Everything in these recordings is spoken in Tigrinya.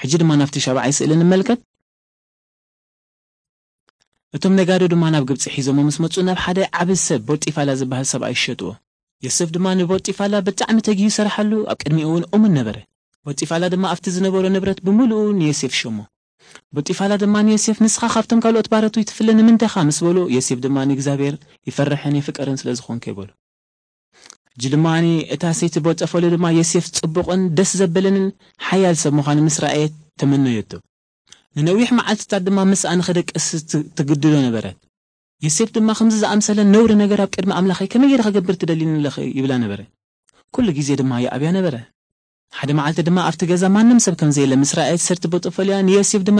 ሕጂ ድማ ናብቲ ሻብዓይ ስእሊ ንመልከት። እቶም ነጋዶ ድማ ናብ ግብጺ ሒዞሞ ምስ መጹ፣ ናብ ሓደ ዓቢ ሰብ ቦጢፋላ ዝበሃል ሰብኣይ ሸጥዎ። ዮሴፍ ድማ ንቦጢፋላ ብጣዕሚ ተጊሁ ይሰርሓሉ፣ ኣብ ቅድሚኡ እውን እሙን ነበረ። ቦጢፋላ ድማ ኣብቲ ዝነበሮ ንብረት ብምሉኡ ንዮሴፍ ሸሞ። ቦጢፋላ ድማ ንዮሴፍ፣ "ንስኻ ካብቶም ካልኦት ባሮቱ ይትፍለ ንምንታይ ኢኻ?" ምስ በሎ፣ ዮሴፍ ድማ፣ "ንእግዚኣብሔር ይፈርሕን የፍቅርን ስለ ዝኾንኩ" ይበሎ። ሕጂ ድማ እታ ሰይቲ ቦጠፈሉ ድማ ዮሴፍ ጽቡቕን ደስ ዘብልንን ሓያል ሰብ ምዃኑ ምስ ረኣየት ተመነየቶ። ንነዊሕ መዓልትታት ድማ ምስኣ ንኽደቅስ ት-፣ ትግድዶ ነበረት። ዮሴፍ ድማ፣ "ከምዚ ዝኣምሰለ ነውሪ ነገር ኣብ ቅድሚ ኣምላኸይ ከመይ ገይረ ክገብር ትደልይኒ ኣለኺ?" ይብላ ነበረ። ኩሉ ግዜ ድማ ይኣብያ ነበረ። ሓደ መዓልቲ ድማ ኣብቲ ገዛ ማንም ሰብ ከም ዘየለ ምስ ረኣየት፣ ሰርቲ ቦጠፈልያ ንዮሴፍ ድማ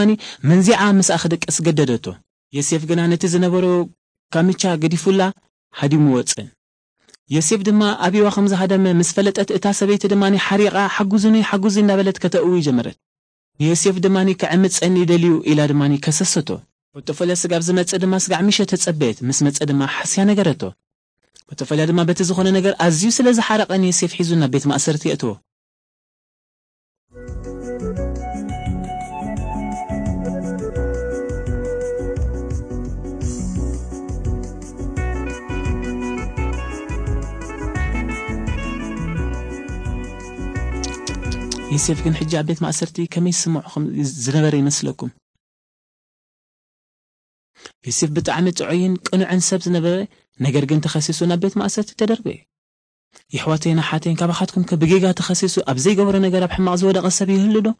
መንዚዓ ምስኣ ክደቅስ ገደደቶ። ዮሴፍ ግና ነቲ ዝነበሮ ካምቻ ገዲፉላ ሃዲሙ ወጸ። ዮሴፍ ድማ ኣብዋ ከም ዝሃደመ ምስ ፈለጠት፣ እታ ሰበይቲ ድማ ሓሪቓ፣ "ሓጉዙኒ፣ ሓጉዙኒ" እናበለት ከተእዊ ጀመረት። ንዮሴፍ ድማ፣ "ከዕምጸኒ ደልዩ" ኢላ ድማ ከሰሰቶ። ቦጠፈልያ ስጋብ ዝመጽእ ድማ ስጋዕ ምሸት ተጸበየት። ምስ መጸ ድማ ሓስያ ነገረቶ። ቦጠፈልያ ድማ በቲ ዝኾነ ነገር ኣዝዩ ስለ ዝሓረቐ፣ ንዮሴፍ ሒዙ ናብ ቤት ማእሰርቲ የእትዎ። ዮሴፍ ግን ሕጂ ኣብ ቤት ማእሰርቲ ከመይ ይስምዖ ከም ዝነበረ ይመስለኩም? ዮሴፍ ብጣዕሚ ጥዑይን ቅኑዕን ሰብ ዝነበረ፣ ነገር ግን ተኸሲሱ ናብ ቤት ማእሰርቲ ተደርበየ። የሕዋተይን ኣሓተይን፣ ካባኻትኩም ከ ብጌጋ ተኸሲሱ ኣብ ዘይገበሮ ነገር ኣብ ሕማቕ ዝወደቐ ሰብ ይህሉ ዶ?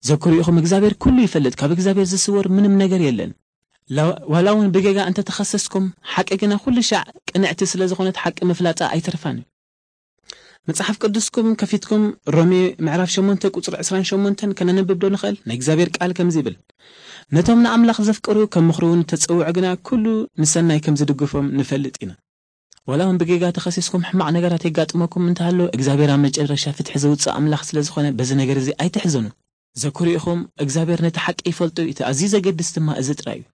ዘኩሩ ኢኹም፣ እግዚኣብሔር ኩሉ ይፈልጥ፣ ካብ እግዚኣብሔር ዝስወር ምንም ነገር የለን። ላ-፣ ዋላ እውን ብጌጋ እንተ ተኸሰስኩም፣ ሓቂ ግና ኩሉ ሻዕ ቅንዕቲ ስለ ዝኾነት ሓቂ ምፍላጣ ኣይተርፋን እዩ። መጽሓፍ ቅዱስኩም ከፊትኩም ሮሜ ምዕራፍ ሸሞንተ ቁጽሪ ዕስራን ሸሞንተን ከነንብብ ዶ ንኽእል? ናይ እግዚኣብሔር ቃል ከምዚ ይብል፣ "ነቶም ንኣምላኽ ዘፍቅሩ ከም ምኽሩ እውን እተጸውዑ ግና ኩሉ ንሰናይ ከም ዝድግፎም ንፈልጥ ኢና።" ዋላ እውን ብጌጋ ተኸሲስኩም ሕማቕ ነገራት የጋጥመኩም እንተሃሎ፣ እግዚኣብሔር ኣብ መጨረሻ ፍትሒ ዘውጽእ ኣምላኽ ስለ ዝኾነ በዚ ነገር እዚ ኣይትሕዘኑ። ዘኩሩ ኢኹም፣ እግዚኣብሔር ነቲ ሓቂ ይፈልጦ እዩ። እቲ ኣዝዩ ዘገድስ ድማ እዚ ጥራይ እዩ።